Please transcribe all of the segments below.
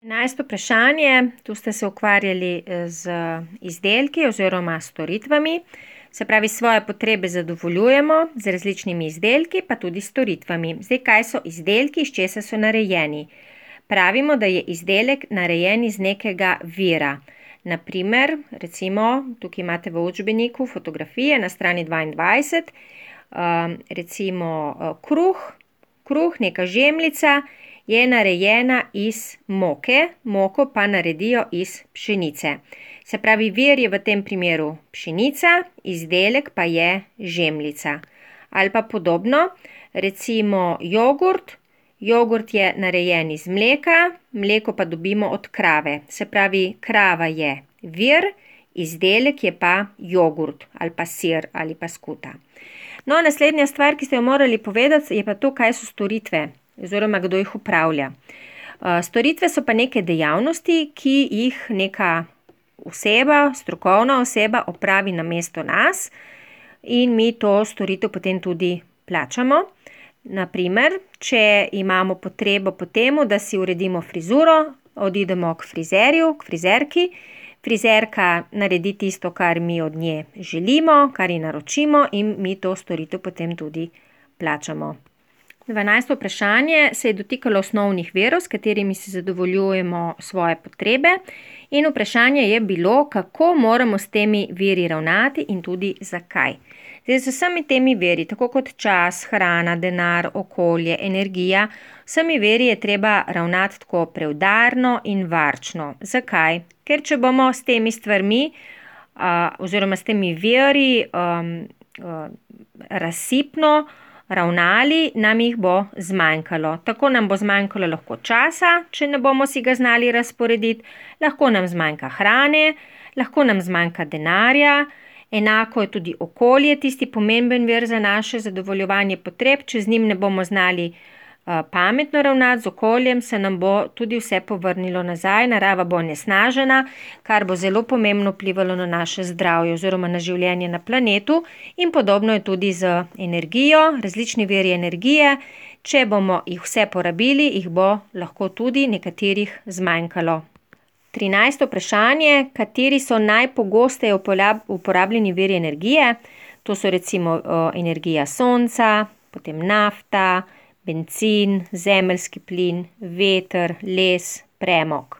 11. vprašanje, tu ste se ukvarjali z izdelki oziroma storitvami, se pravi svoje potrebe zadovoljujemo z različnimi izdelki, pa tudi storitvami. Zdaj, kaj so izdelki, iz česa so narejeni? Pravimo, da je izdelek narejen iz nekega vira. Naprimer, recimo, tukaj imate v učbeniku fotografije na strani 22, recimo kruh, neka žemljica, je narejena iz moke, moko pa naredijo iz pšenice. Se pravi, vir je v tem primeru pšenica, izdelek pa je žemljica. Ali pa podobno, recimo jogurt je narejen iz mleka, mleko pa dobimo od krave. Se pravi, krava je vir, izdelek je pa jogurt ali pa sir ali pa skuta. No, naslednja stvar, ki ste jo morali povedati, je pa to, kaj so storitve oziroma kdo jih upravlja. Storitve so pa neke dejavnosti, ki jih neka oseba, strokovna oseba opravi namesto nas in mi to storitev potem tudi plačamo. Naprimer, če imamo potrebo po temu, da si uredimo frizuro, odidemo k frizerju, k frizerki, frizerka naredi tisto, kar mi od nje želimo, kar ji naročimo in mi to storitev potem tudi plačamo. 12. vprašanje se je dotikalo osnovnih virov, s katerimi si zadovoljujemo svoje potrebe, in vprašanje je bilo, kako moramo s temi viri ravnati in tudi zakaj. Zdaj, z vsemi temi viri, tako kot čas, hrana, denar, okolje, energija, vsemi viri je treba ravnati tako preudarno in varčno. Zakaj? Ker če bomo s temi stvarmi oziroma s temi viri razsipno ravnali, nam jih bo zmanjkalo. Tako nam bo zmanjkalo lahko časa, če ne bomo si ga znali razporediti, lahko nam zmanjka hrane, lahko nam zmanjka denarja, enako je tudi okolje, tisti pomemben vir za naše zadovoljevanje potreb, če z njim ne bomo znali pametno ravnati, z okoljem se nam bo tudi vse povrnilo nazaj, narava bo onesnažena, kar bo zelo pomembno vplivalo na naše zdravje oziroma na življenje na planetu, in podobno je tudi z energijo, različni viri energije. Če bomo jih vse porabili, jih bo lahko tudi nekaterih zmanjkalo. 13. vprašanje, kateri so najpogosteje uporabljeni viri energije? To so recimo energija sonca, potem nafta, bencin, zemeljski plin, veter, les, premog.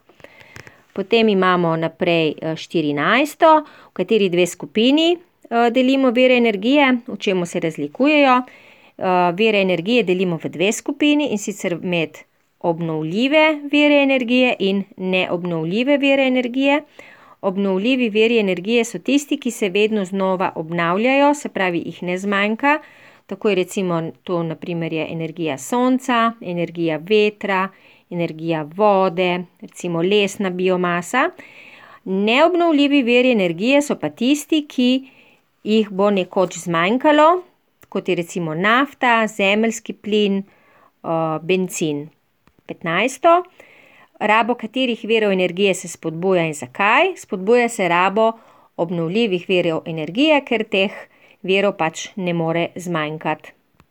Potem imamo naprej 14, v kateri dve skupini delimo vire energije, v čemu se razlikujejo. Vire energije delimo v dve skupini, in sicer med obnovljive vire energije in neobnovljive vire energije. Obnovljivi viri energije so tisti, ki se vedno znova obnavljajo, se pravi, jih ne zmanjka. Tako je recimo to naprimer je energija sonca, energija vetra, energija vode, recimo lesna biomasa. Neobnovljivi viri energije so pa tisti, ki jih bo nekoč zmanjkalo, kot je recimo nafta, zemeljski plin, bencin. 15. Rabo katerih virov energije se spodbuja in zakaj? Spodbuja se rabo obnovljivih virov energije, ker teh virov pač ne more zmanjkati.